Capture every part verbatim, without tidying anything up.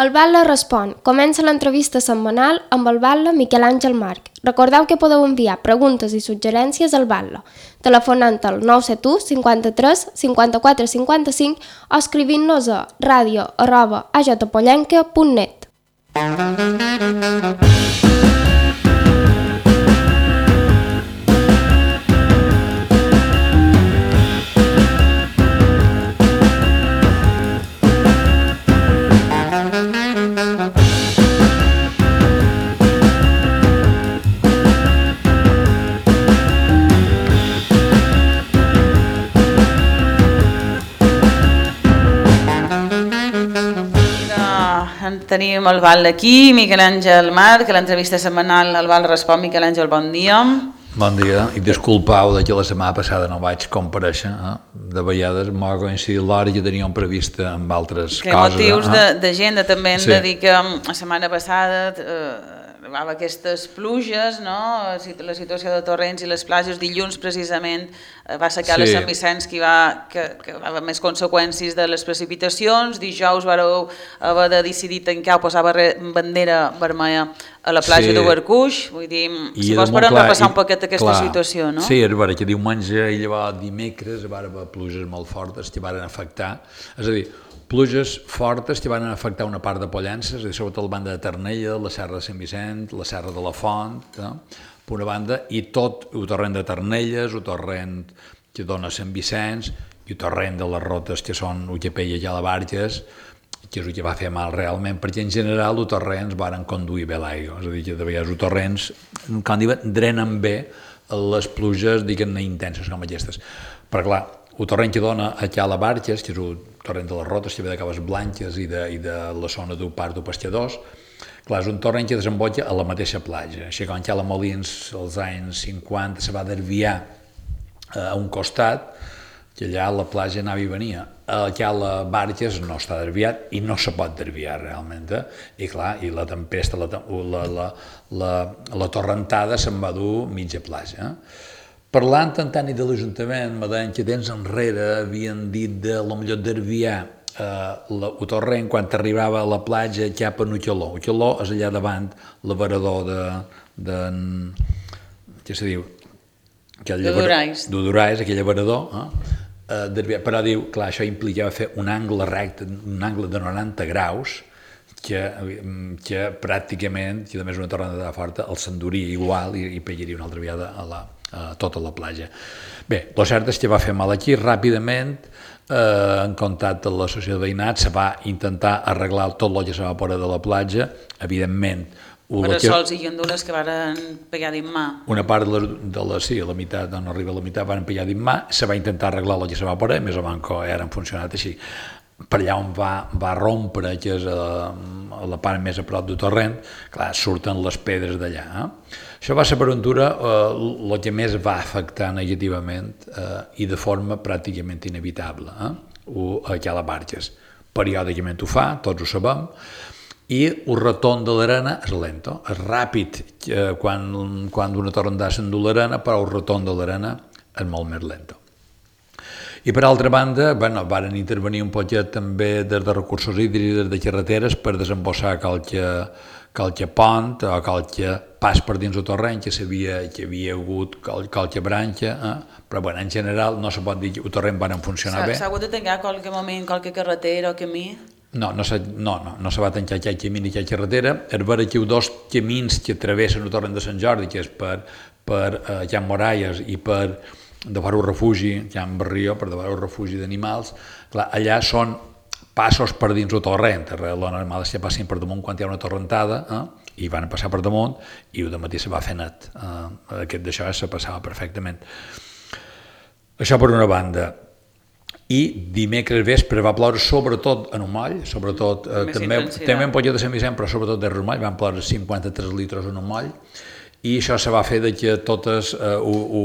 El Batlle respon. Comença l'entrevista setmanal amb el Batlle Miquel Àngel Marc. Recordeu que podeu enviar preguntes i suggerències al Batlle, telefonant al nou set u cinquanta-tres cinquanta-quatre cinquanta-cinc o escrivint-nos a radio arroba a j pollenca punt net. Tenim el Batlle aquí, Miquel Àngel Marc, que l'entrevista setmanal el Batlle respon. Miquel Àngel, bon dia. Bon dia, i disculpau que la setmana passada no vaig comparèixer, eh? De vegades m'ha coincidit l'hora que teníem prevista amb altres que coses. Que motius eh? d'agenda també hem sí. de dir que la setmana passada eh, arribava aquestes pluges, no? La situació de torrents i les platges, dilluns precisament va secar sí. a Sant Vicenç que, va, que, que va haver més conseqüències de les precipitacions, dijous vareu haver de decidir tancar o posar bandera vermella a la platja sí. d'Obercuix, vull dir, I si vols podem repassar un poquet aquesta clar, situació, no? Sí, és vera que diumenge i llavors dimecres va haver pluges molt fortes que van afectar, és a dir, pluges fortes que van afectar una part de Pollença, és a dir, sobretot la banda de Ternella, la serra de Sant Vicent, la serra de la Font, no? Per una banda, i tot el torrent de Ternelles, el torrent que dona Sant Vicenç, i el torrent de les rotes que són U G P i Jalabarges, que és el que va fer mal realment, perquè en general els torrents van conduir bé l'aigua, és a dir, que de vegades els torrents, com diuen, drenen bé les pluges, diguem-ne, intenses com aquestes. Però clar, el torrent que dona a Jalabarges, que és el torrent de les rotes, que ve de Caves Blanques i de, i de la zona del Parc dels Pescadors, clar, és un torrent que desemboca a la mateixa platja. Així que quan Jala Molins, als anys cinquanta, se va desviar a un costat, que allà la platja anava i venia. Allà la Barges no està desviat i no se pot desviar realment. Eh? I clar, i la tempesta, la, la, la, la, la torrentada se'n va dur mitja platja. Eh? Parlant en tant i de l'Ajuntament, me deien que temps enrere havien dit de lo millor desviar eh, la, el torrent quan arribava a la platja cap a Ucceló. Ucceló és allà davant l'avarador de, de... què se diu? D'Udorais. D'Udorais, aquell avarador. Eh? Uh, però diu, clar, això implicava fer un angle recte, un angle de noranta graus, que, que pràcticament, que a més una tornada forta, el s'enduria igual i, i pegaria una altra vegada a, la, a tota la platja. Bé, el cert és que va fer mal aquí, ràpidament, eh, en contacte amb la societat de veïnat, se va intentar arreglar tot el que se va poder de la platja, evidentment. Però sols i gandules que van pegar dins mà. Una part de la, de la sí, a la meitat, no arriba a la meitat, van pegar dins mà, se va intentar arreglar el que se va poder, més o menys que ara han funcionat així. Per allà on va, va rompre, que és a, a la part més a prop del torrent, clar, surten les pedres d'allà. Eh? Això va ser per ventura eh, el que més va afectar negativament eh, i de forma pràcticament inevitable. Eh? O, a Jalabarges. Periòdicament ho fa, tots ho sabem, i el retorn de l'arena és lento, és ràpid eh, quan, quan una torrendada s'endú l'arena, però el retorn de l'arena és molt més lento. I per altra banda, bueno, varen intervenir un poquet també des de recursos hídrics, des de carreteres, per desembossar qualque, qualque pont o qualque pas per dins el torrent, que sabia que havia hagut qualque branca, eh? Però bueno, en general no se pot dir que el torrent van funcionar bé. S'ha hagut de tancar qualque moment, qualque carretera o camí? No, no se, no, no, no se va tancar aquell camí ni aquella carretera. És vera que hi ha dos camins que travessen el torrent de Sant Jordi, que és per, per eh, Can Moralles i per de fora el refugi, Can Barrió, per de fora el refugi d'animals. Clar, allà són passos per dins el torrent. El normal és que passin per damunt quan hi ha una torrentada, eh? I van passar per damunt i el dematí se va fer net. Eh, aquest d'això se passava perfectament. Això per una banda. I dimecres vespre va ploure sobretot en un moll, sobretot eh, també, també en Polló de Sant Vicent, però sobretot de un moll, van ploure cinquanta-tres litres en un moll, i això se va fer de que totes, eh, u, u,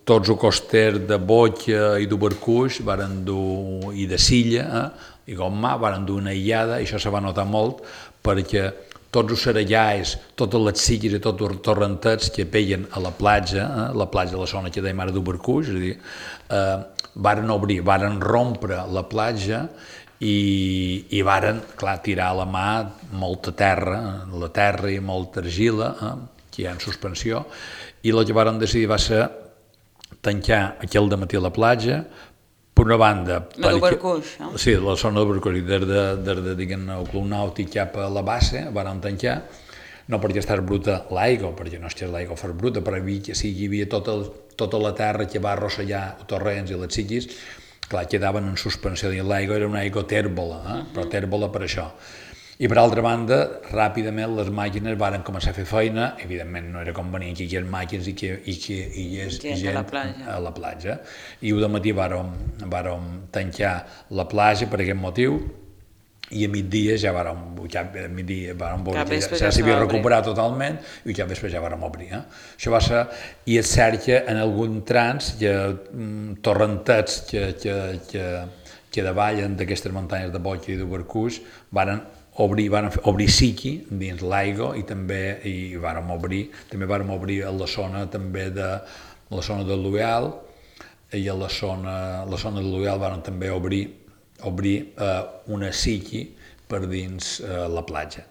tots els costers de Boia i d'Obercuix varen dur, i de Silla, eh, i Gomà, varen dur una aïllada, i això se va notar molt, perquè tots els serallais, totes les silles i tots els torrentets que peguen a la platja, eh, la platja de la zona que dèiem ara d'Obercuix, és a dir, eh, varen obrir, varen rompre la platja i, i varen, clar, tirar a la mà molta terra, la terra i molta argila, eh, que hi ha en suspensió, i el que varen decidir va ser tancar aquell dematí a la platja, per una banda... La d'Ubercuix, no? Sí, la zona d'Ubercuix, des de, des de diguem, el Club Nàutic cap a la base, varen tancar, no perquè estàs bruta l'aigua, perquè no estàs l'aigua fos bruta, però hi, sí, hi havia tota, tota la terra que va arrossegar els torrents i les xiquis, clar, quedaven en suspensió dins l'aigua, era una aigua tèrbola, eh? Però tèrbola per això. I per altra banda, ràpidament les màquines varen començar a fer feina, evidentment no era convenient que hi hagués màquines i que hi hagués gent a la platja. A la platja. I de matí vàrem, vàrem tancar la platja per aquest motiu, i a migdia ja vàrem, ja a migdia vàrem veure que ja, ja s'havia recuperat totalment i ja després ja vàrem obrir. Eh? Això va ser, i és cert que en algun trans hi ha mm, torrentets que, que, que, que davallen d'aquestes muntanyes de Boig i d'Ubercuix, varen obrir, varen obrir siqui dins l'aigua i també i vàrem obrir, també vàrem obrir a la zona també de la zona de l'Uel, i a la zona, la zona de l'Uel varen també obrir obrir eh, una siqui per dins eh, la platja.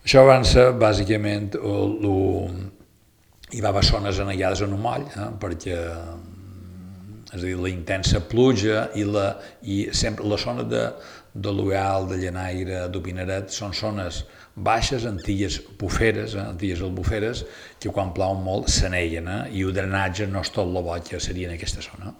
Això va ser bàsicament el, el, hi va haver zones anegades en un moll, eh, perquè és a dir, la intensa pluja i, la, i sempre la zona de, de l'Uel, de Llenaire, d'Opinaret, són zones baixes, antigues buferes, eh, antigues albuferes, que quan plau molt s'aneguen, eh, i el drenatge no és tot el bo que seria en aquesta zona.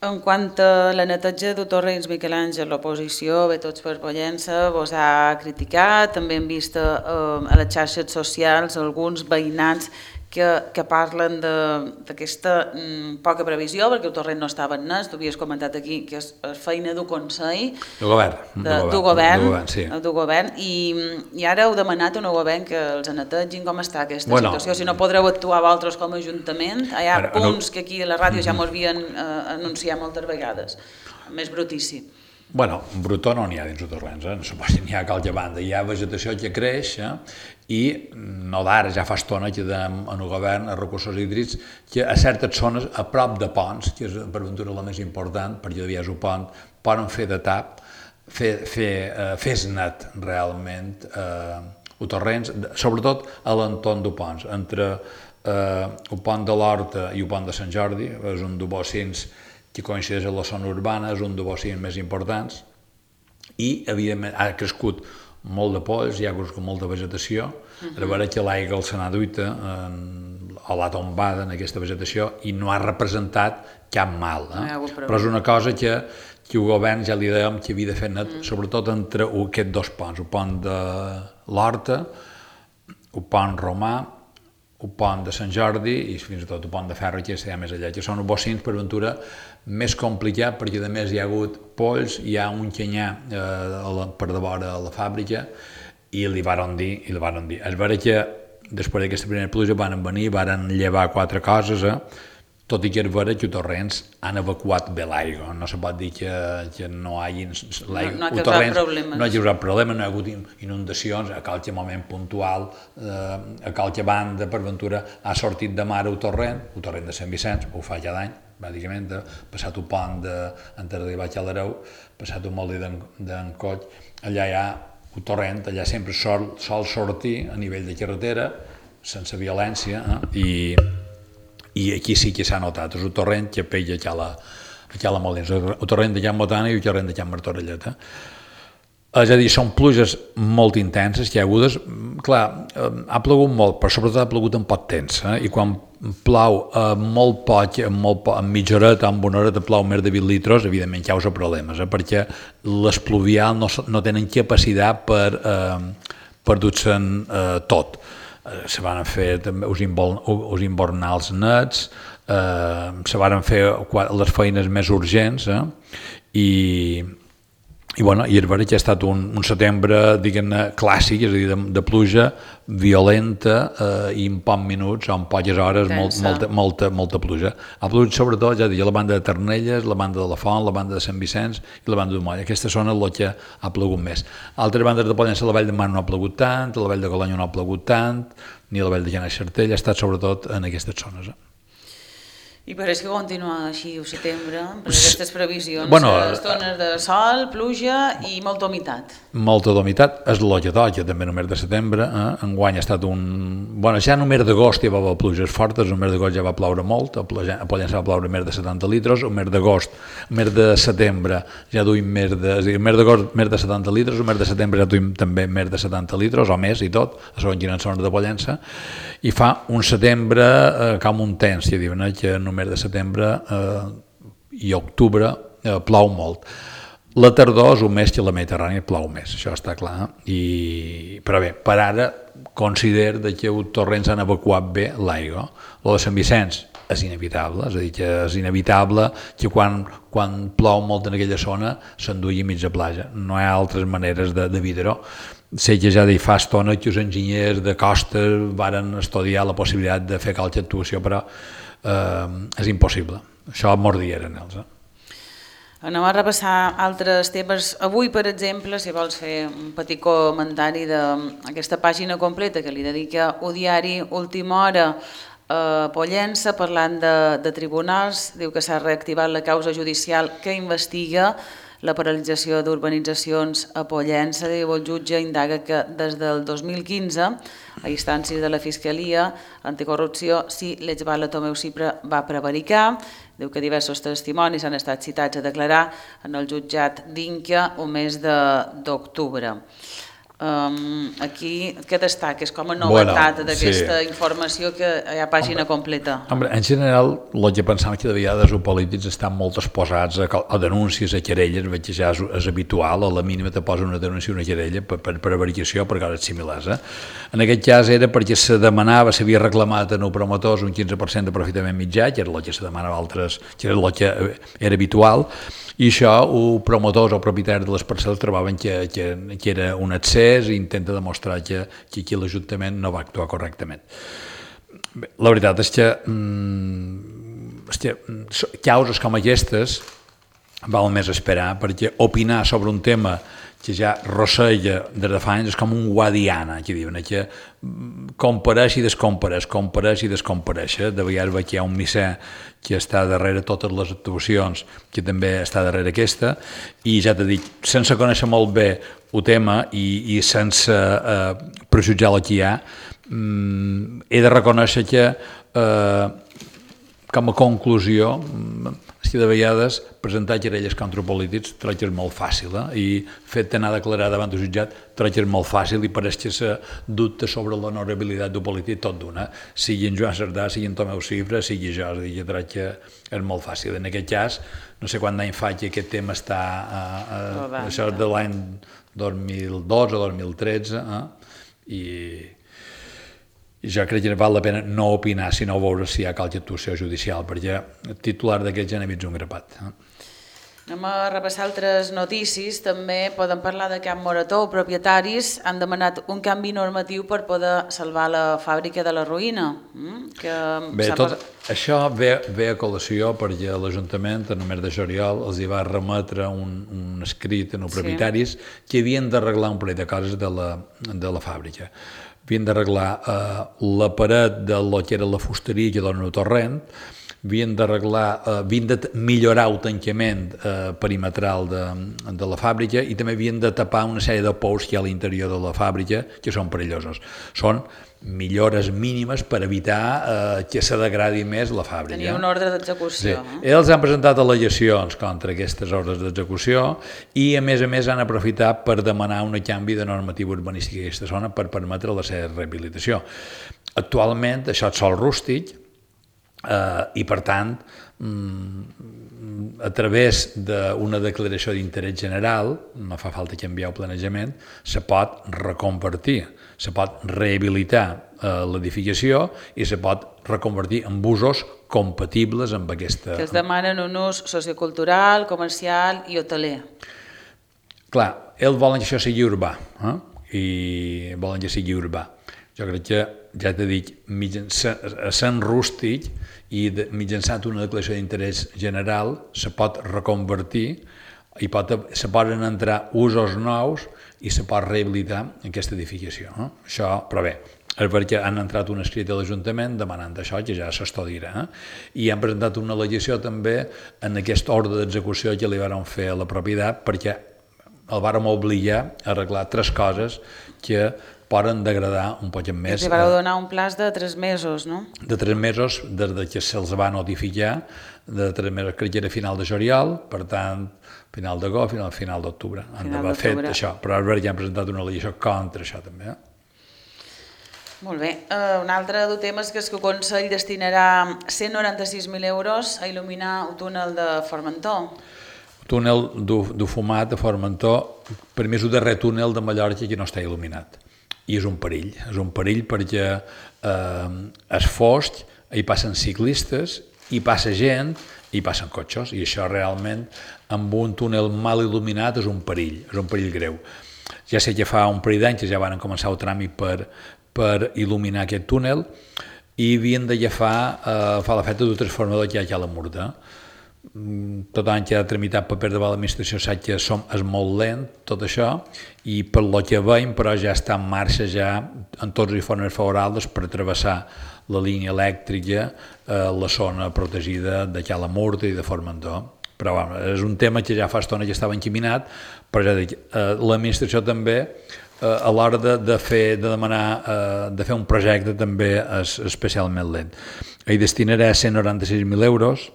En quant a la neteja de torrents, Miquel Àngel, l'oposició, bé tots per Pollença, vos ha criticat, també hem vist eh, a les xarxes socials alguns veïnats que, que parlen d'aquesta mm, poca previsió, perquè el torrent no estava en nes, tu havies comentat aquí que és feina d'un consell, del govern, de, del govern, govern, sí. del govern i, i ara heu demanat a un govern que els netegin. Com està aquesta bueno, situació? Si no podreu actuar vosaltres com a Ajuntament, hi ha ara, punts no, que aquí a la ràdio ja mos havien eh, anunciat moltes vegades, més brutíssim. Bueno, brutó no n'hi ha dins els torrents, eh? No n'hi ha a qualque banda, hi ha vegetació que creix, eh? I no d'ara, ja fa estona que en el govern, a recursos hídrics, que a certes zones, a prop de ponts, que és per ventura la més important, perquè hi havia un pont, poden fer de tap, fer, fer, eh, fer net realment eh, els torrents, sobretot a l'entorn de ponts, entre eh, el pont de l'Horta i el pont de Sant Jordi, és un de bocins que coincideix en la zona urbana, és un de bocins més importants, i evidentment ha crescut molt de polls, hi ha crescut molta vegetació, uh-huh. A veure que l'aigua se n'ha duita o l'ha tombada en aquesta vegetació i no ha representat cap mal. Eh? No però és una cosa que, que el govern ja li dèiem que havia de fer net, uh-huh. Sobretot entre aquests dos ponts, el pont de l'Horta, el pont Romà, el pont de Sant Jordi i fins i tot el pont de Ferro, que està més allà, que són els bocins per ventura més complicat perquè a més hi ha hagut polls, hi ha un canyar eh, per de vora a la fàbrica i li varen dir, i li varen dir. És vera que després d'aquesta primera pluja van venir, van llevar quatre coses, eh? Tot i que és vera que els torrents han evacuat bé l'aigua, no se pot dir que, que no hi hagi l'aigua. No, no ha causat problemes. No ha causat problemes, no hi ha hagut inundacions, a qualque moment puntual, eh, a qualque banda, per ventura, ha sortit de mar el torrent, el torrent de Sant Vicenç, ho fa cada any, bàsicament, passat el pont de, antes d'arribar a l'Areu, passat el molí d'en Coll, allà hi ha el torrent, allà sempre sol, sol sortir a nivell de carretera, sense violència, eh, i... i aquí sí que s'ha notat, és el torrent que pella a la, a la Molins, el torrent de Can Botana i el torrent de Can Martorellet. Eh? És a dir, són pluges molt intenses, que hi ha hagudes, clar, ha plogut molt, però sobretot ha plogut en poc temps, eh? I quan plau eh, molt poc, molt poc, en mitja horeta, en una horeta plau més de vint litres, evidentment causa problemes, eh? Perquè les pluvials no, no tenen capacitat per, eh, per dur-se'n eh, tot. Se van fer també els invernals nets, eh, se van fer les feines més urgents, eh, i, i, bueno, i és vera que ha estat un, un setembre, diguem-ne, clàssic, és a dir, de, de pluja violenta eh, i en pocs minuts o en poques hores molt, molta, molta, molta pluja. Ha plogut sobretot, ja dic, la banda de Ternelles, la banda de la Font, la banda de Sant Vicenç i la banda de Moll. Aquesta zona és la que ha plogut més. Altres bandes de Pollença, la Vall de Mar no ha plogut tant, la Vall de Colonyo no ha plogut tant, ni la Vall de Llana i Sartell, ha estat sobretot en aquestes zones. Eh? I pareix que continua així el setembre, per aquestes previsions, bueno, estones de sol, pluja i molta humitat. Molta humitat, és el que toca també el mes de setembre, eh? Enguany ha estat un... Bueno, ja en el mes d'agost hi va haver pluges fortes, el mes d'agost ja va ploure molt, a Pollença va ploure més de setanta litres, el mes d'agost, el mes de setembre ja duim més de... És a dir, el mes d'agost més de setanta litres, el mes de setembre ja duim també més de setanta litres, o més i tot, a segons quines zones de Pollença, i fa un setembre eh, com un temps, ja diuen, eh, que en el mes de setembre eh, i octubre eh, plou molt. La tardor és un mes que la Mediterrània plou més, això està clar, i, però bé, per ara considero que els torrents han evacuat bé l'aigua. Lo de Sant Vicenç és inevitable, és a dir, que és inevitable que quan, quan plou molt en aquella zona s'enduï mitja platja, no hi ha altres maneres d'evitar-ho. Sé que ja fa estona que els enginyers de costa varen estudiar la possibilitat de fer qualque actuació, però eh, és impossible. Això mordien ells. Eh? Anem a repassar altres temes. Avui, per exemple, si vols fer un petit comentari d'aquesta pàgina completa que li dedica el diari Última Hora a Pollença, parlant de, de tribunals, diu que s'ha reactivat la causa judicial que investiga la paralització d'urbanitzacions a Pollença. Diu, el jutge indaga que des del dos mil quinze, a instàncies de la Fiscalia Anticorrupció, si l'exbala Tomeu Cipra va prevaricar. Diu que diversos testimonis han estat citats a declarar en el jutjat d'Inca el mes d'octubre. Um, aquí, què destaca? És com a novetat bueno, d'aquesta sí. informació que hi ha pàgina hombre, completa. Hombre, en general, el que pensam que de vegades els polítics estan molt exposats a, a denúncies, a querelles, veig que ja és, és habitual, a la mínima te posa una denúncia, una querella per, per, per avaricació, per coses similars. Eh? En aquest cas era perquè se demanava, s'havia reclamat en els promotors un quinze per cent de profitament mitjà, que era el que se demanava altres, que era el que era habitual, i això, els promotors o propietaris de les parcel·les trobaven que, que, que era un excés i intenta demostrar que, que aquí l'Ajuntament no va actuar correctament. Bé, la veritat és que, mm, és que causes com aquestes val més esperar, perquè opinar sobre un tema que ja rosseja des de fa anys és com un guadiana, que diuen, que compareix i descompareix, compareix i descompareix. De vegades veig que hi ha un misser que està darrere totes les actuacions, que també està darrere aquesta, i ja t'he dit, sense conèixer molt bé el tema i, i sense eh, prejutjar el que hi ha, mm, he de reconèixer que eh, com a conclusió, és que de vegades presentar querelles contra polítics trobo que és molt fàcil, eh? I fet d'anar a declarar davant del jutjat trobo que és molt fàcil i pareix que se dubta sobre l'honorabilitat del polític tot d'una, sigui en Joan Cerdà, sigui en Tomeu Cipra, sigui jo, és a dir, que trobo que és molt fàcil. En aquest cas, no sé quant d'any fa que aquest tema està, eh, eh, això és de l'any dos mil dotze o dos mil tretze, eh? i... I jo crec que val la pena no opinar, sinó veure si hi ha qualque actuació judicial, perquè el titular d'aquest ja n'he vist un grapat. Anem a repassar altres notícies. També podem parlar de Camp Morató. Propietaris han demanat un canvi normatiu per poder salvar la fàbrica de la ruïna. Que Bé, tot això ve, ve a col·lació perquè l'Ajuntament, en el mes de juliol, els hi va remetre un, un escrit als propietaris sí. que havien d'arreglar un parell de coses de la, de la fàbrica. Havien d'arreglar eh, la paret de lo que era la fusteria que dona el torrent, havien d'arreglar, eh, havien de millorar el tancament eh, perimetral de, de la fàbrica i també havien de tapar una sèrie de pous que hi ha a l'interior de la fàbrica que són perillosos. Són millores mínimes per evitar eh, que se degradi més la fàbrica. Tenia un ordre d'execució. Sí. Eh? Ells han presentat al·legacions contra aquestes ordres d'execució i a més a més han aprofitat per demanar un canvi de normativa urbanística a aquesta zona per permetre la seva rehabilitació. Actualment això és sòl rústic eh, i per tant a través d'una declaració d'interès general, no fa falta canviar el planejament, se pot reconvertir, se pot rehabilitar eh, l'edificació i se pot reconvertir en usos compatibles amb aquesta... Que es demanen un ús sociocultural, comercial i hoteler. Clar, ells volen que això sigui urbà, eh? I volen que sigui urbà. Jo crec que, ja t'he dit, sent rústic i de, mitjançant una declaració d'interès general se pot reconvertir i pot, se poden entrar usos nous i se pot rehabilitar aquesta edificació. Eh? Això, però bé, és perquè han entrat un escrit a l'Ajuntament demanant això, que ja s'estudiarà. Eh? I han presentat una al·legació també en aquest ordre d'execució que li van fer a la propietat, perquè el vàrem obligar a arreglar tres coses que poden degradar un poc més. I li vau donar un plaç de tres mesos, no? De tres mesos, des que se'ls va notificar, de tres mesos, crec que era final de juliol, per tant, final d'agost, final, final d'octubre. Han d'haver fet això, però ara ja han presentat una al·legació contra això també. Eh? Molt bé. Uh, un altre dels temes que és que el Consell destinarà cent noranta-sis mil euros a il·luminar el túnel de Formentor. El túnel du fumat de Formentor, per mi és el darrer túnel de Mallorca que no està il·luminat. I és un perill, és un perill perquè eh, és fosc, hi passen ciclistes, hi passa gent, hi passen cotxes, i això realment amb un túnel mal il·luminat és un perill, és un perill greu. Ja sé que fa un parell d'anys que ja van començar el tràmit per, per il·luminar aquest túnel i havien d'agafar eh, fa l'efecte d'un transformador que hi ha aquí a la Murta. Tot l'any que ha tramitat paper de l'administració sap que som, és molt lent tot això i per lo que veiem però ja està en marxa ja en tots els informes favorables per travessar la línia elèctrica a la zona protegida de Cala Murta i de Formentor. Però bueno, és un tema que ja fa estona que estava encaminat, però ja dic, eh, l'administració també eh, a l'hora de, de fer de demanar eh, de fer un projecte també és especialment lent. Hi destinarà cent noranta-sis mil euros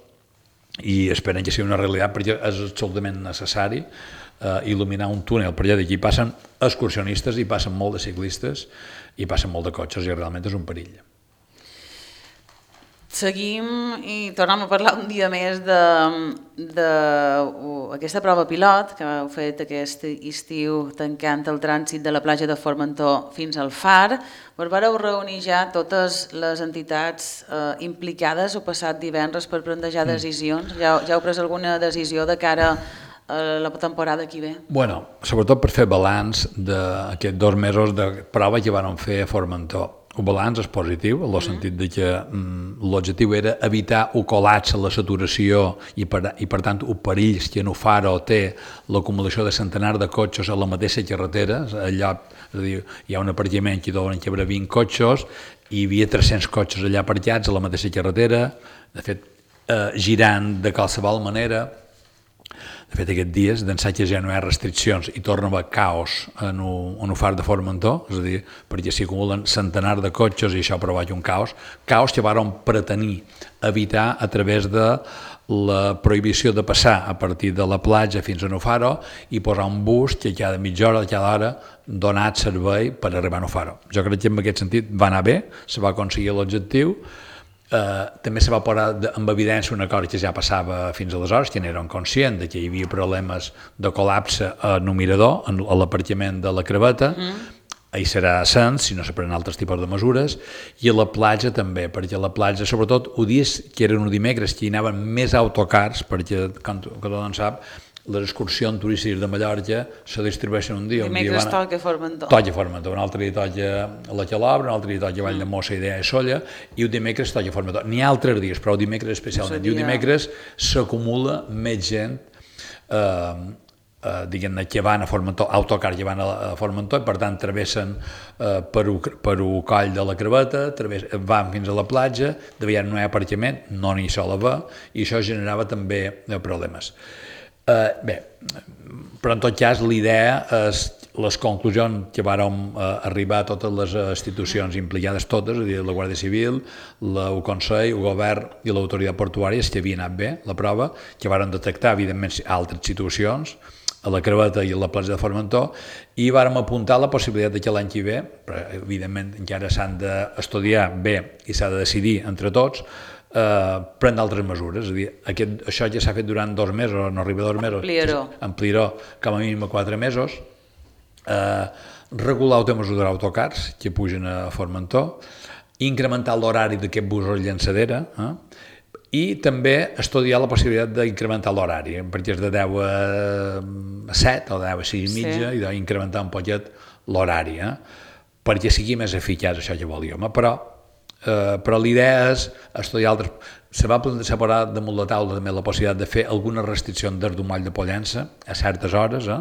i esperen que sigui una realitat perquè és absolutament necessari eh, il·luminar un túnel, per allà d'aquí passen excursionistes, hi passen molt de ciclistes, hi passen molt de cotxes i realment és un perill. Seguim i tornem a parlar un dia més d'aquesta prova pilot que heu fet aquest estiu tancant el trànsit de la platja de Formentor fins al Far. Vos vareu reunir ja totes les entitats eh, implicades el passat divendres per plantejar decisions? Ja, ja heu pres alguna decisió de cara a la temporada que ve? Bueno, sobretot per fer balanç d'aquests dos mesos de prova que van fer a Formentor. El balanç és positiu, en el sentit de que mm, l'objectiu era evitar el col·lapse, la saturació i per, i per tant el perill que en el Faro té l'acumulació de centenars de cotxes a la mateixa carretera. Allà, és a dir, hi ha un aparcament que deuen cabre vint cotxes i hi havia tres-cents cotxes allà aparcats a la mateixa carretera, de fet, eh, girant de qualsevol manera. De fet, aquests dies, d'ençà que ja no hi ha restriccions i torna a haver caos en el Far de Formentor, és a dir, perquè s'hi acumulen centenars de cotxes i això provoca un caos, caos que varen pretenir evitar a través de la prohibició de passar a partir de la platja fins a el Faro i posar un bus que cada mitja hora, cada hora, donat servei per arribar al Faro. Jo crec que en aquest sentit va anar bé, se va aconseguir l'objectiu. Uh, també se va posar en evidència una cosa que ja passava fins aleshores, que n'eren conscients que hi havia problemes de col·lapse a el mirador, a l'aparcament de la Creveta, mm. Ahir serà ascens, si no se prenen altres tipus de mesures, i a la platja també, perquè a la platja, sobretot, ho dies que eren un dimecres, que hi anaven més autocars, perquè, com tothom sap, les excursions turístiques de Mallorca se distribueixen un dia. Dimecres un dia toca Formentor. Toca Formentor, un altre dia toca la Calobra, un altre dia toca Vall de Mossa, Idea i Solla, i un dimecres toca Formentor. N'hi ha altres dies, però el dimecres especialment. I un dimecres s'acumula més gent, eh, eh, diguem-ne, que van a Formentor, autocar que van a Formentor, i per tant travessen eh, per un coll de la Creveta, travessen, van fins a la platja, de vegades no hi ha aparcament, no n'hi sol haver, i això generava també problemes. Uh, bé, però en tot cas l'idea és les conclusions que vàrem uh, arribar a totes les institucions implicades totes, és a dir, la Guàrdia Civil, la, el Consell, el Govern i l'autoritat portuària, que havia anat bé la prova, que varen detectar evidentment altres situacions a la Creveta i a la platja de Formentor, i vàrem apuntar la possibilitat que l'any que ve, però evidentment encara s'han d'estudiar bé i s'ha de decidir entre tots, Uh, prendre altres mesures, és a dir, aquest, això ja s'ha fet durant dos mesos, no arriba a dos mesos, ampliaró, ampliaró com a mínim a quatre mesos, uh, regular el tema dels autocars que pugen a Formentor, incrementar l'horari d'aquest bus o llançadera, eh? I també estudiar la possibilitat d'incrementar l'horari, perquè és de deu a set o de deu a sis i mitja, sí. I d'incrementar un poquet l'horari, eh? Perquè sigui més eficaç això que volíem, però Uh, però l'idea és estudiar altres. Se va separar damunt la taula també la possibilitat de fer alguna restricció des d'un moll de Pollença a certes hores, eh?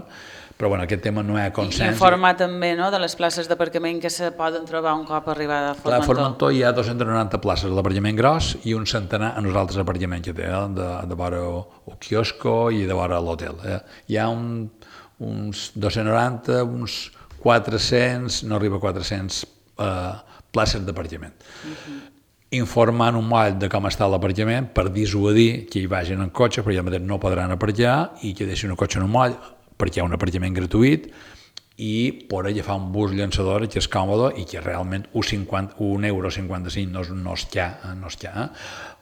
Però bueno, aquest tema no hi ha consens. I informar també, no?, de les places d'aparcament que se poden trobar un cop arribada a Formentor. A Formentor hi ha dos-cents noranta places d'aparcament gros i un centenar en els altres apartaments que té, eh? de, de vora el quiosco i de vora l'hotel. Eh? Hi ha un, uns dos-cents noranta, uns quatre-cents, no arriba a quatre-cents eh, places d'apartament. Uh-huh. Informant un moll de com està l'aparcament per dissuadir que hi vagin en cotxe, perquè al mateix no podran aparcar i que deixin el cotxe en un moll, perquè hi ha un aparcament gratuït i poder agafar un bus llançador que és còmode i que realment un euro cinquanta-cinc no, no es quia. No es quia.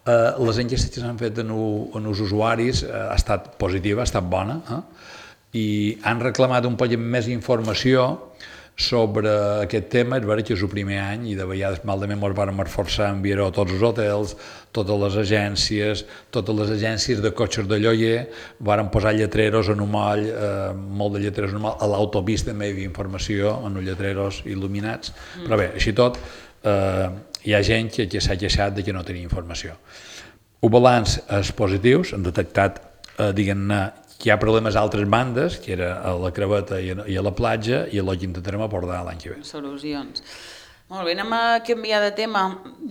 Eh, les enquestes que s'han fet en, en els usuaris eh, ha estat positiva, ha estat bona, eh? I han reclamat un poc més informació sobre aquest tema. És veritat que és el primer any i de vegades malament ens vam esforçar a enviar-ho a tots els hotels, totes les agències, totes les agències de cotxes de lloguer, varen posar lletreros en un moll, eh, molt de lletreros en un moll, a l'autopista també hi havia informació en els lletreros il·luminats, mm. però bé, així tot, eh, hi ha gent que, que s'ha queixat de que no tenia informació. El balanç és positiu, s'han detectat, eh, diguem-ne, que hi ha problemes a altres bandes, que era a la Creveta i a la platja, i el que intentarem abordar l'any que ve. Solucions. Molt bé, anem a canviar de tema.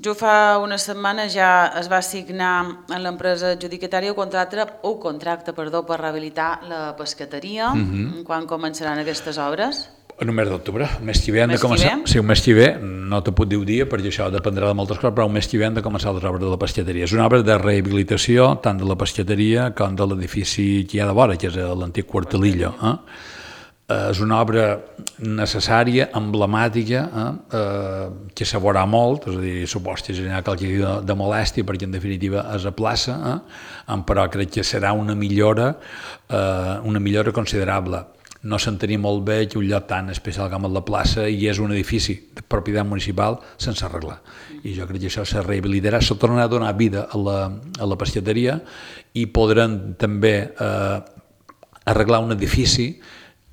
Jo fa una setmana ja es va signar en l'empresa adjudicatària el contracte, o contracte, perdó, per rehabilitar la pescateria. Mm-hmm. Quan començaran aquestes obres? En el mes d'octubre, el mes que ve han de començar. Sí, el mes que ve, no te puc dir un dia perquè això dependrà de moltes coses, però el mes que ve han de començar les obres de la pescateria. És una obra de rehabilitació tant de la pescateria com de l'edifici que hi ha de vora, que és l'antic Quartelillo. Eh? És una obra necessària, emblemàtica, eh? Eh, que se veurà molt, és a dir, suposo que generarà qualque de, de molèstia perquè en definitiva és a plaça, eh? Però crec que serà una millora, eh, una millora considerable. No s'entenia molt bé que un lloc tan especial com la plaça i és un edifici de propietat municipal sense arreglar. I jo crec que això se rehabilitarà, se tornarà a donar vida a la, a la pescateria i podran també eh, arreglar un edifici.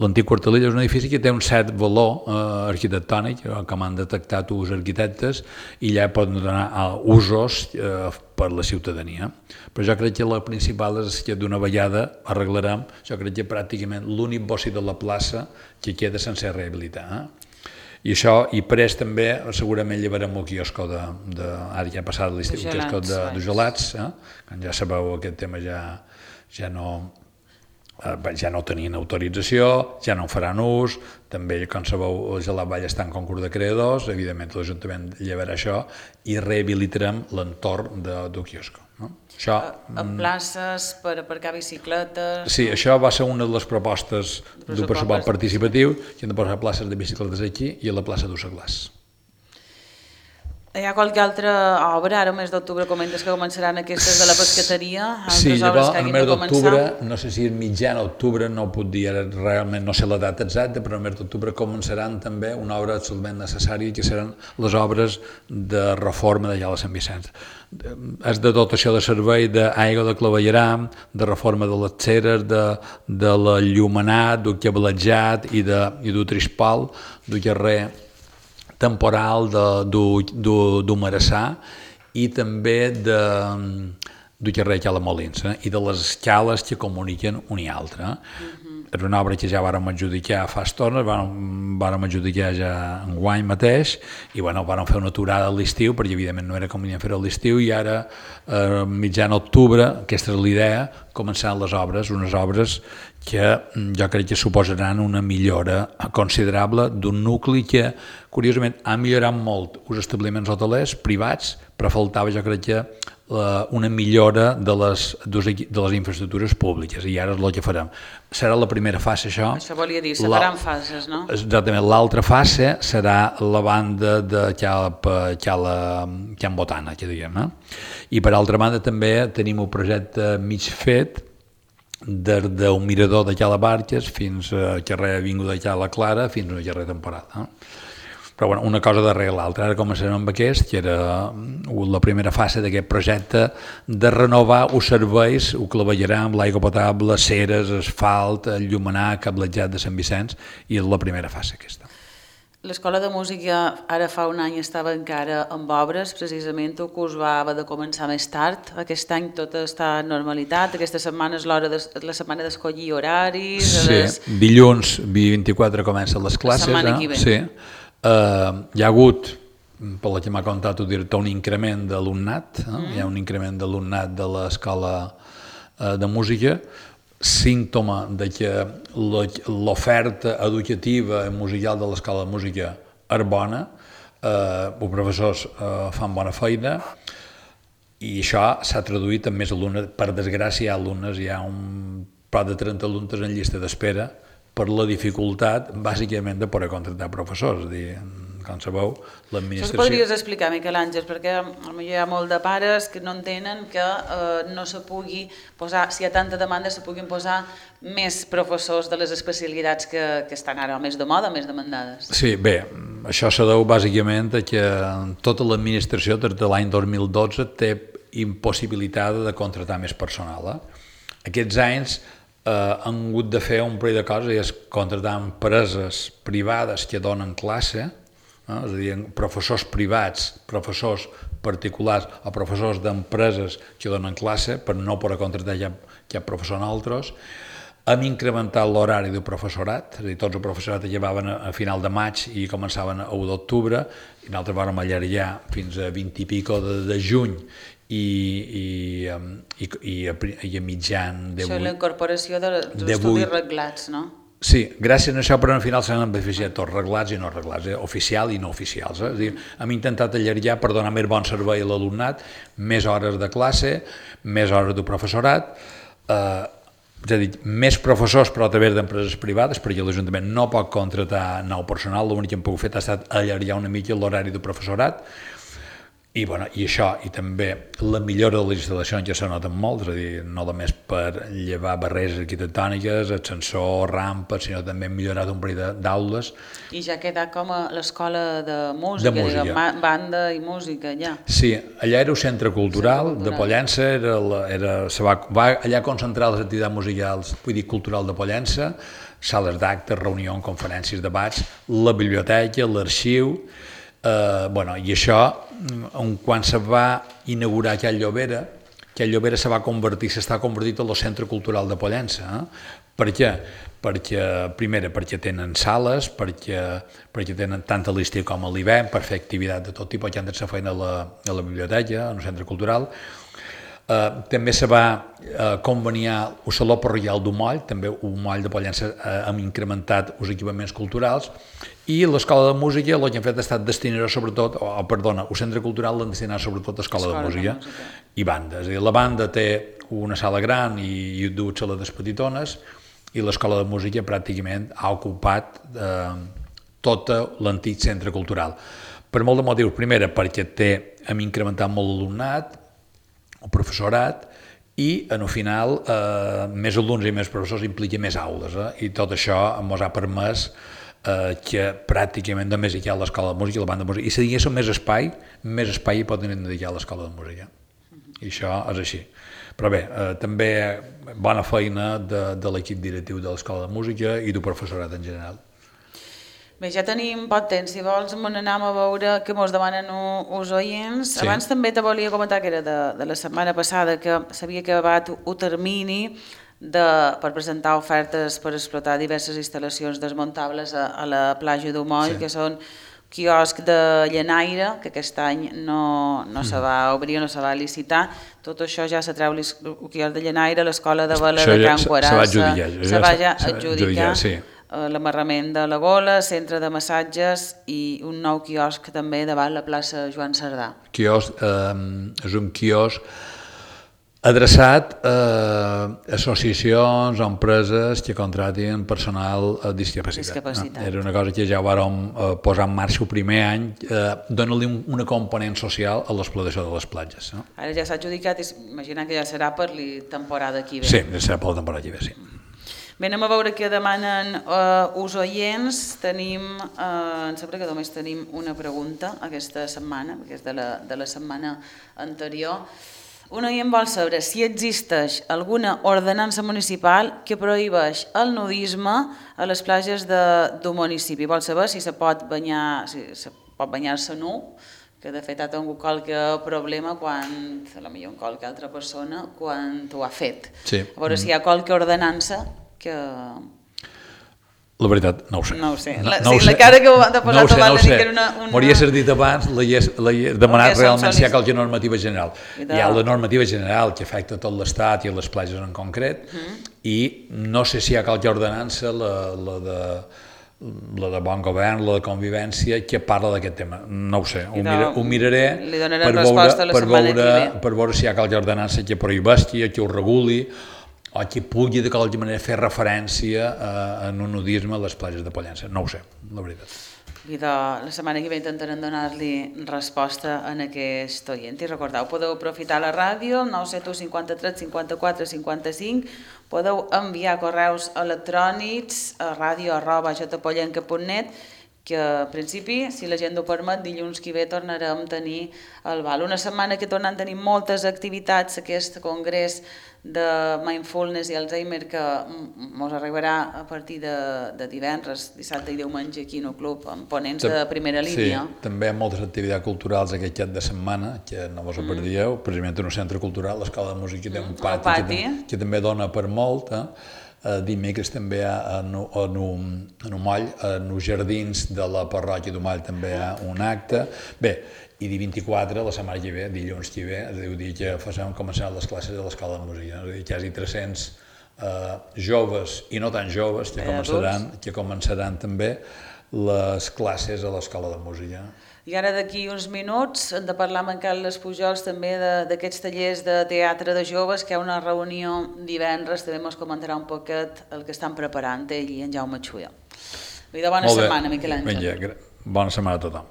L'antic Quartelillo és un edifici que té un cert valor eh, arquitectònic, com han detectat els arquitectes, i ja poden donar a usos eh, per la ciutadania. Però jo crec que la principal és que d'una vegada arreglarem, jo crec que pràcticament l'únic bossi de la plaça que queda sense rehabilitar. Eh? I això, i pres també, segurament llevarem el quiosco de, de ara ja ha passat l'estiu, el quiosco de, de gelats, eh? Quan ja sabeu aquest tema ja, ja no... ja no tenien autorització, ja no en faran ús, també, com sabeu, el Gelat Vall està en concurs de creadors, evidentment l'Ajuntament llevarà això i rehabilitarem l'entorn de, del quiosco. No? Això, a, a places per aparcar bicicletes... Sí, això va ser una de les propostes del pressupost participatiu, que han de posar places de bicicletes aquí i a la plaça d'Ussaglàs. Hi ha qualque altra obra, ara al mes d'octubre comentes que començaran aquestes de la pescateria? Sí, llavors, en el mes d'octubre, no sé si és mitjan octubre, no ho puc dir ara realment, no sé la data exacta, però en el mes d'octubre començaran també una obra absolutament necessària, que seran les obres de reforma de Llala Sant Vicenç. És de dotació de servei d'aigua de clavegueram, de reforma de les ceres, de, de la llumenat, del cablejat i del trispal, del carrer temporal d'Humarassà i també de, del carrer Cala Molins, eh? I de les escales que comuniquen un i altre. Eh? Uh-huh. És una obra que ja vàrem adjudicar fa estona, vàrem, vàrem adjudicar ja enguany mateix i bueno, vàrem fer una aturada a l'estiu perquè evidentment no era convenient fer-ho a l'estiu i ara, eh, mitjan octubre, aquesta és l'idea, començaran les obres, unes obres que jo crec que suposaran una millora considerable d'un nucli que, curiosament, ha millorat molt els establiments hotelers privats, però faltava, jo crec que, una millora de les, de les infraestructures públiques, i ara és el que farem. Serà la primera fase, això. Això volia dir, se faran fases, no? Exactament. L'altra fase serà la banda de Can Botana, que diguem. Eh? I per altra banda també tenim un projecte mig fet des d'un mirador de Cala Barques fins al carrer Avinguda de Cala Clara fins al carrer Temporada. Eh? Però bueno, una cosa darrere l'altra. Ara començarem amb aquest, que era la primera fase d'aquest projecte de renovar els serveis, el clavegueram, l'aigua potable, ceres, asfalt, el llumenar, cablejat de Sant Vicenç, i és la primera fase aquesta. L'Escola de Música ara fa un any estava encara amb obres, precisament el curs va haver de començar més tard. Aquest any tot està en normalitat, aquesta setmana és l'hora de, la setmana d'escollir horaris... Sí, les... dilluns vint-i-quatre comencen les classes. La setmana que ve. Sí. Uh, hi ha hagut, per la que m'ha contat el director, un increment d'alumnat, eh? mm. hi ha un increment d'alumnat de l'escola uh, de música, símptoma de que l'oferta educativa i musical de l'escola de música és bona, eh, els professors eh, fan bona feina i això s'ha traduït en més alumnes. Per desgràcia hi ha alumnes, hi ha un prop de trenta alumnes en llista d'espera per la dificultat, bàsicament, de poder contractar professors. És a dir, com sabeu, l'administració... Això podries explicar, Miquel Àngel, perquè potser hi ha molt de pares que no entenen que eh, no se pugui posar, si hi ha tanta demanda, se puguin posar més professors de les especialitats que, que estan ara més de moda, més demandades. Sí, bé, això se deu bàsicament a que tota l'administració des de l'any dos mil dotze té impossibilitat de contractar més personal. Eh? Aquests anys eh, han hagut de fer un parell de coses, i és contractar empreses privades que donen classe, no? És a dir, professors privats, professors particulars o professors d'empreses que donen classe per no poder contractar cap, cap professor en altres. Hem incrementat l'horari del professorat, és a dir, tots els professorat llevaven a final de maig i començaven a u d'octubre, i nosaltres vam allargar fins a vint i pico de, de juny i, i, i, i, a, i a mitjan de vuit. Això és la incorporació de, dels estudis reglats, no? Sí, gràcies a això, però al final s'han beneficiat tots reglats i no reglats, eh? Oficial i no oficials. Eh? És a dir, hem intentat allargar per donar més bon servei a l'alumnat, més hores de classe, més hores de professorat, eh, és a dir, més professors però a través d'empreses privades, perquè l'Ajuntament no pot contractar nou personal, l'únic que hem pogut fer ha estat allargar una mica l'horari de professorat, i, bueno, i això, i també la millora de les instal·lacions ja se noten molt, és a dir, no només per llevar barreres arquitectòniques, ascensor, rampes, sinó també hem millorat un parell d'aules. I ja ha quedat com a l'escola de música, de música. Diguem, banda i música, ja. Sí, allà era un centre cultural, centre cultural. de Pollença, era, la, era, se va, va allà concentrar les activitats musicals, vull dir, cultural de Pollença, sales d'actes, reunions, conferències, debats, la biblioteca, l'arxiu, eh, bueno, i això, quan se va inaugurar aquella Llobera, aquella Llobera se va convertir, s'està convertit en el centre cultural de Pollença. Eh? Per què? Perquè, primera, perquè tenen sales, perquè, perquè tenen tant a l'estiu com a l'hivern per fer activitat de tot tipus, que han de fer feina a la, a la biblioteca, en el centre cultural. Uh, també se va uh, conveniar el Saló Parroquial d'Umoll, també un moll de Pollença uh, hem incrementat els equipaments culturals, i l'Escola de Música el que han fet ha estat destinar sobretot, o oh, perdona, el Centre Cultural l'han destinat sobretot a Escola de Música, de música i banda. És a dir, la banda té una sala gran i, i dues sales petitones, i l'Escola de Música pràcticament ha ocupat eh, tot l'antic centre cultural. Per molt de motius. Primera, perquè té, hem incrementat molt l'alumnat, el professorat, i en el final eh, més alumnes i més professors implica més aules, eh? I tot això ens ha permès eh, que pràcticament només hi ha l'escola de música i la banda de música, i si diguéssim més espai, més espai hi pot dedicar a l'escola de música, i això és així. Però bé, eh, també bona feina de, de l'equip directiu de l'escola de música i del professorat en general. Bé, ja tenim poc temps, si vols me n'anem a veure què mos demanen els oients. Sí. Abans també te volia comentar que era de, de la setmana passada que s'havia acabat un termini de, per presentar ofertes per explotar diverses instal·lacions desmuntables a, a la platja d'Umoll, sí. Que són quiosc de llenaire, que aquest any no, no mm. se va obrir, no se va licitar. Tot això ja se treu el quiosc de llenaire, l'escola de vela de Can Quarassa, se va adjudicar, se va ja adjudicar sí. L'amarrament de la Gola, centre de massatges i un nou quiosc també davant la plaça Joan Cerdà. Quiosc, eh, és un quiosc adreçat a associacions o empreses que contratin personal a discapacitat. discapacitat. Era una cosa que ja vàrem posar en marxa el primer any, eh, dona-li una component social a l'explotació de les platges. No? Ara ja s'ha adjudicat i imagina que ja serà per la temporada que ve. Sí, ja serà per la temporada que ve, sí. Bé, anem a veure què demanen eh, us oients. Tenim, eh, em sembla que només tenim una pregunta aquesta setmana, que és de la, de la setmana anterior. Un oient vol saber si existeix alguna ordenança municipal que prohibeix el nudisme a les platges d'un municipi. Vol saber si se pot banyar, si se pot banyar-se nu, que de fet ha tingut qualque problema quan, potser qualque altra persona, quan ho ha fet. Sí. A veure si hi ha qualque ordenança que... La veritat, no ho sé. No ho sé. No, La, no sí, ho sé. la cara que ho ha posat no ho sé, abans no de dir que era una... una... M'hauria dit abans, l'he demanat realment si hi ha qualque normativa general. De... Hi ha la normativa general que afecta tot l'Estat i les platges en concret, mm. i no sé si hi ha qualque ordenança, la, la de... la de bon govern, la de convivència, que parla d'aquest tema. No ho sé, ho, mira, ho miraré per veure, per, veure, per veure si hi ha qualque ordenança que prohibeixi, que ho reguli, o que pugui de qualque manera fer referència a, a un nudisme a les platges de Pollença. No ho sé, la veritat. I de, la setmana que ve intentarem donar-li resposta en aquest oient. I recordeu, podeu aprofitar la ràdio, el nou set u cinquanta-tres cinquanta-quatre cinquanta-cinc, podeu enviar correus electrònics a ràdio arroba jpollenca punt net, que a principi, si la gent ho permet, dilluns que ve tornarem a tenir el bal. Una setmana que tornem a tenir moltes activitats, aquest congrés de Mindfulness i Alzheimer que ens arribarà a partir de, de divendres, dissabte i diumenge aquí en el club, amb ponents de primera línia. Sí, també hi ha moltes activitats culturals aquest cap de setmana, que no vos ho perdieu, mm. precisament en un centre cultural, l'Escola de Música té un pati, pati. Que, que també dona per molt, eh? Uh, dimecres també hi ha en, en, un, en un moll, en els jardins de la parròquia d'Umoll també hi ha un acte. Bé, i dia vint-i-quatre, la setmana que ve, dilluns que ve, és a dir, dir que farem començaran les classes de l'Escola de Música, és a dir, quasi tres-cents uh, joves i no tan joves que començaran, que començaran també les classes a l'Escola de Música. I ara d'aquí uns minuts hem de parlar amb en Carles Pujols també d'aquests tallers de teatre de joves, que hi ha una reunió divendres, també ens comentarà un poquet el que estan preparant ell i en Jaume Xuia. Bona setmana, Miquel Àngel. Bona setmana a tothom.